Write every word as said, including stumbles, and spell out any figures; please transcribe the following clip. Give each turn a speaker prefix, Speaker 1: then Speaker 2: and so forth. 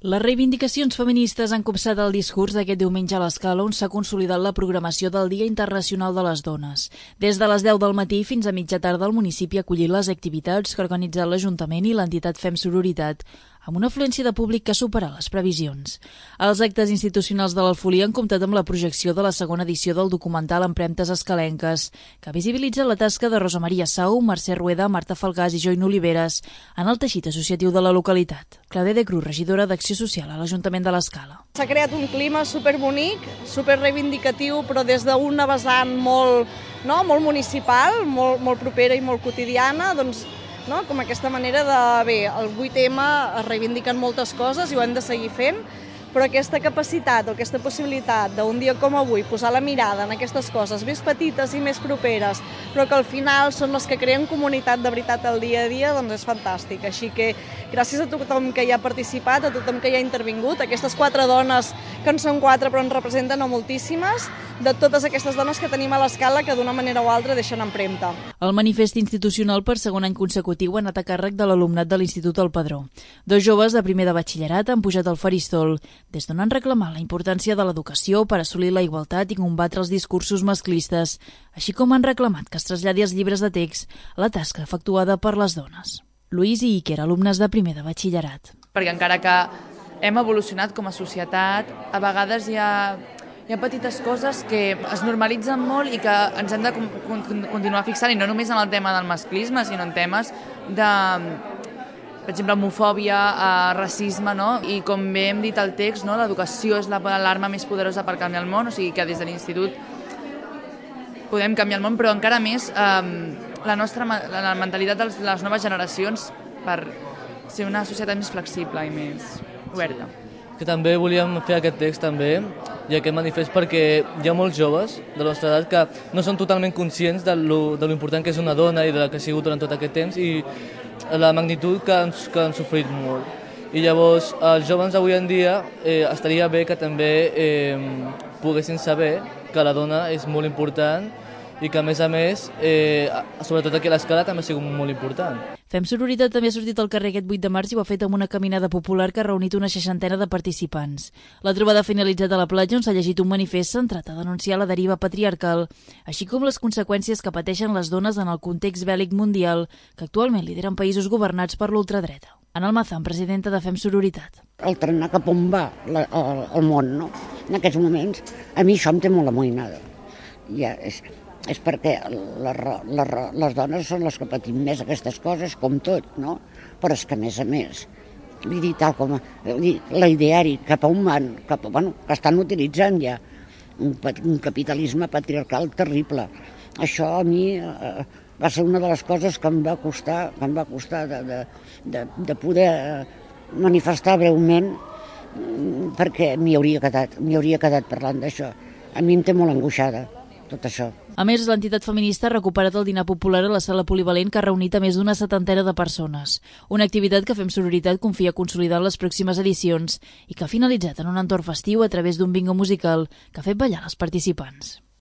Speaker 1: Les reivindicacions feministes han copsat el discurs d'aquest diumenge a l'Escala, on s'ha consolidat la programació del Dia Internacional de les Dones. Des de les deu del matí fins a mitja tarda el municipi ha acollit les activitats que ha organitzat l'Ajuntament i l'entitat Fem Sororitat, amb una afluència de públic que supera les previsions. Els actes institucionals de l'Alfolí han comptat amb la projecció de la segona edició del documental Empremtes escalenques, que visibilitza la tasca de Rosa Maria Sau, Mercè Rueda, Marta Falgàs i Join Oliveres en el teixit associatiu de la localitat. Claudia de Cruz, regidora d'Acció Social a l'Ajuntament de l'Escala.
Speaker 2: S'ha creat un clima superbonic, superreivindicatiu, però des d'una vessant molt, no, molt municipal, molt, molt propera i molt quotidiana, doncs, no? Com aquesta manera de, bé, el vuit eme es reivindiquen moltes coses i ho hem de seguir fent, però aquesta capacitat o aquesta possibilitat d'un dia com avui posar la mirada en aquestes coses més petites i més properes, però que al final són les que creen comunitat de veritat al dia a dia, doncs és fantàstic. Així que gràcies a tothom que hi ha participat, a tothom que hi ha intervingut, aquestes quatre dones, que en són quatre però en representen a moltíssimes, de totes aquestes dones que tenim a l'Escala que d'una manera o altra deixen empremta.
Speaker 1: El manifest institucional per segon any consecutiu ha anat a càrrec de l'alumnat de l'Institut El Padró. Dos joves de primer de batxillerat han pujat al faristol, des d'on han reclamat la importància de l'educació per assolir la igualtat i combatre els discursos masclistes, així com han reclamat que es traslladi als llibres de text la tasca efectuada per les dones. Lluís i Iker, alumnes de primer de batxillerat.
Speaker 3: Perquè encara que hem evolucionat com a societat, a vegades hi ha, hi ha petites coses que es normalitzen molt i que ens hem de continuar fixant, i no només en el tema del masclisme, sinó en temes de, per exemple, homofòbia, eh, racisme, no? I com bé hem dit al text, no? L'educació és l'arma més poderosa per canviar el món, o sigui que des de l'institut podem canviar el món, però encara més eh, la nostra la mentalitat de les noves generacions per ser una societat més flexible i més oberta.
Speaker 4: Que també volíem fer aquest text també i aquest manifest perquè hi ha molts joves de la nostra edat que no són totalment conscients de lo, de lo important que és una dona i de la que ha sigut durant tot aquest temps i la magnitud que han, que han sofrit molt. I llavors els joves avui en dia eh, estaria bé que també eh, poguessin saber que la dona és molt important i que, a més a més, eh, sobretot aquí a l'Escala també ha sigut molt important.
Speaker 1: Fem Sororitat també ha sortit al carrer aquest vuit de març i ho ha fet amb una caminada popular que ha reunit una seixantena de participants. La trobada ha finalitzat a la platja on s'ha llegit un manifest centrat a denunciar la deriva patriarcal, així com les conseqüències que pateixen les dones en el context bèl·lic mundial que actualment lideren països governats per l'ultradreta. Ana Almazán, presidenta de Fem Sororitat.
Speaker 5: El trenar cap on va la, el, el món, no? En aquests moments, a mi això em té molt amoïnada. Ja és... és perquè les, les, les dones són les que patim més aquestes coses, com tot, no? Però és que, a més a més, vull dir, tal com l'ideari cap a on van, cap a, bueno, que estan utilitzant ja un, un capitalisme patriarcal terrible. Això a mi eh, va ser una de les coses que em va costar, que em va costar de, de, de, de poder manifestar breument, perquè m'hi hauria quedat, m'hi hauria quedat parlant d'això. A mi em té molt angoixada tot això.
Speaker 1: A més, l'entitat feminista ha recuperat el dinar popular a la sala polivalent que ha reunit a més d'una setantena de persones. Una activitat que Fem Sororitat confia consolidar en les pròximes edicions i que ha finalitzat en un entorn festiu a través d'un bingo musical que ha fet ballar els participants.